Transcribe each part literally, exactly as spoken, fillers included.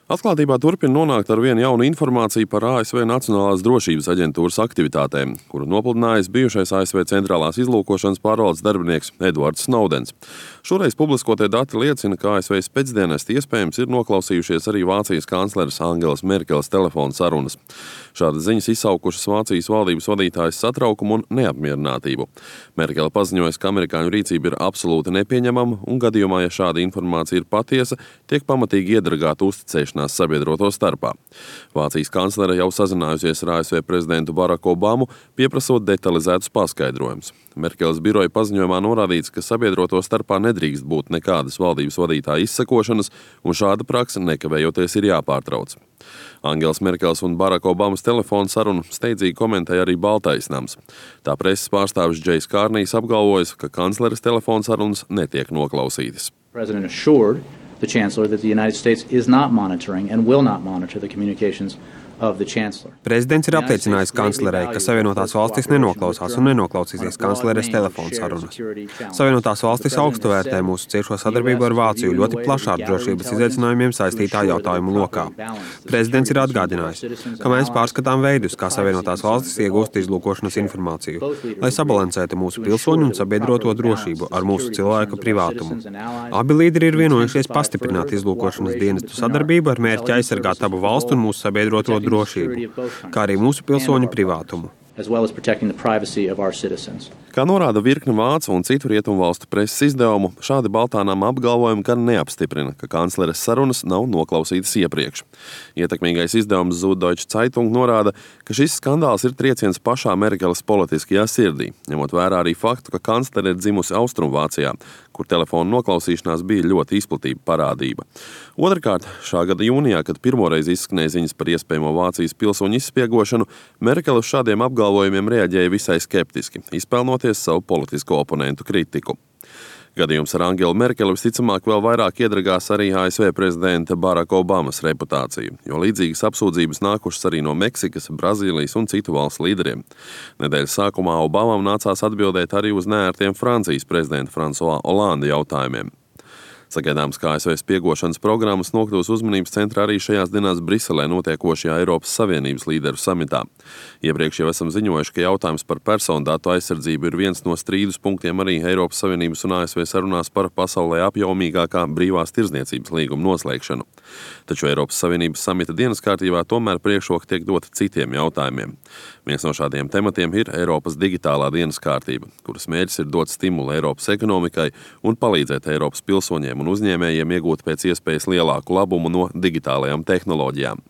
Atklātībā turpina nonākt ar vienu jaunu informāciju par A S V Nacionālās drošības aģentūras aktivitātēm, kuru nopludinājis bijušais A S V centrālās izlūkošanas pārvaldes darbinieks Edvards Snowdens. Šoreiz publiskotie dati liecina, ka A S V spēcdienesti iespējams ir noklausījušies arī Vācijas kancleres Angelas Merkeles telefona sarunas. Šādas ziņas izsaukušas Vācijas valdības vadītājas satraukumu un neapmierinātību. Merkele paziņojas, ka amerikāņu rīcība ir absolūti nepieņemama un gadījumā, ja šāda informācija ir patiesa, tiek pamatīgi iedragāta uzticēšanās sabiedroto starpā. Vācijas kanclere jau sazinājusies ar A S V prezidentu Baraku Obamu, pieprasot detalizētus paskaidrojumus. Merkeles biroja paziņojumā norādīts, ka sabiedroto starpā nedrīkst būt nekādas valdības vadītāja izsekošanas, un šāda praksa nekavējoties ir jāpārtrauc. Angelas Merkeles un Baraka Obamas telefona sarunu steidzīgi komentēja arī Baltais nams. Tā preses pārstāvis Džejs Kārnijs apgalvojas, ka kancleres telefona sarunas netiek noklausītas. The Chancellor that the United States is not monitoring and will not monitor the communications of the Chancellor. Prezidents ir apliecinājis kanclerei, ka Savienotās valstis nenoklausās un nenoklausīsies kancleres telefona sarunas. Savienotās valstis augstu vērtē mūsu ciešo sadarbību ar Vāciju ļoti plašā ar drošības izaicinājumiem saistītā jautājumu lokā. Prezidents ir atgādinājis, ka mēs pārskatām veidus, kā Savienotās valstis iegūst izlūkošanas informāciju, lai sabalansētu mūsu pilsoņu un sabiedroto drošību ar mūsu cilvēku privātumu. Abi līderi ir vienojušies pastiprināt izlūkošanas dienestu sadarbību ar mērķi aizsargāt abu valstu un mūsu sabiedroto drošību, kā arī mūsu pilsoņu privātumu. Kā norāda virkne vācu un citu rietumvalstu preses izdevumu, šādi Baltānām apgalvojumi gan neapstiprina, ka kancleres sarunas nav noklausītas iepriekš. Ietekmīgais izdevums Süddeutsche Zeitung norāda, ka šis skandāls ir trieciens pašā Merkeles politiskajā sirdī, ņemot vērā arī faktu, ka kanclere ir dzimusi Austrumvācijā, kur telefona noklausīšanās bija ļoti izplatīta parādība. Otrkārt, šā gada jūnijā, kad pirmoreiz izskanēja ziņas par iespējamo Vācijas pilsoņu izspiegošanu, Merkele uz šādiem apgalvojumiem reaģēja visai skeptiski, izpelnoties savu politisko oponentu kritiku. Gadījums ar Angelu Merkeli visticamāk vēl vairāk iedragās arī A S V prezidenta Baraka Obamas reputāciju, jo līdzīgas apsūdzības nākušas arī no Meksikas, Brazīlijas un citu valstu līderiem. Nedēļas sākumā Obamam nācās atbildēt arī uz neērtiem Francijas prezidenta François Hollande jautājumiem. Sagaidāms, ka A S V spiegošanas programmas nokļūs uzmanības centrā arī šajās dienās Briselē notiekošajā Eiropas Savienības līderu samitā. Iepriekš jau esam ziņojuši, ka jautājums par personu datu aizsardzību ir viens no strīdus punktiem arī Eiropas Savienības un A S V sarunās par pasaulē apjomīgākā brīvās tirdzniecības līguma noslēgšanu. Taču Eiropas Savienības samita dienas kārtībā tomēr priekšroka tiek dota citiem jautājumiem. Viens no šādiem tematiem ir Eiropas digitālā dienas kārtība, kuras mērķis ir dot stimulu Eiropas ekonomikai un palīdzēt Eiropas pilsoņiem un uzņēmējiem iegūt pēc iespējas lielāku labumu no digitālajām tehnoloģijām.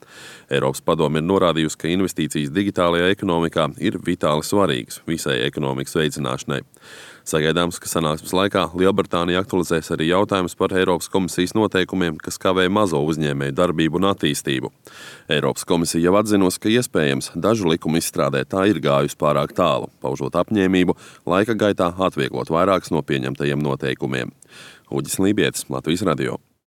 Eiropas padome ir norādījusi, ka investīcijas digitālajā ekonomikā ir vitāli svarīgas visai ekonomikas veicināšanai. Sagaidāms, ka sanāksmes laikā Lielbritānija aktualizēs arī jautājums par Eiropas komisijas noteikumiem, kas kavē mazo uzņēmēju darbību un attīstību. Eiropas komisija jau atzinusi, ka iespējams dažu likumu izstrādē tā ir gājusi pārāk tālu, paužot apņēmību laika gaitā atvieglot vairākus no pieņemtajiem noteikumiem. Uģis Lībietis, Latvijas radio.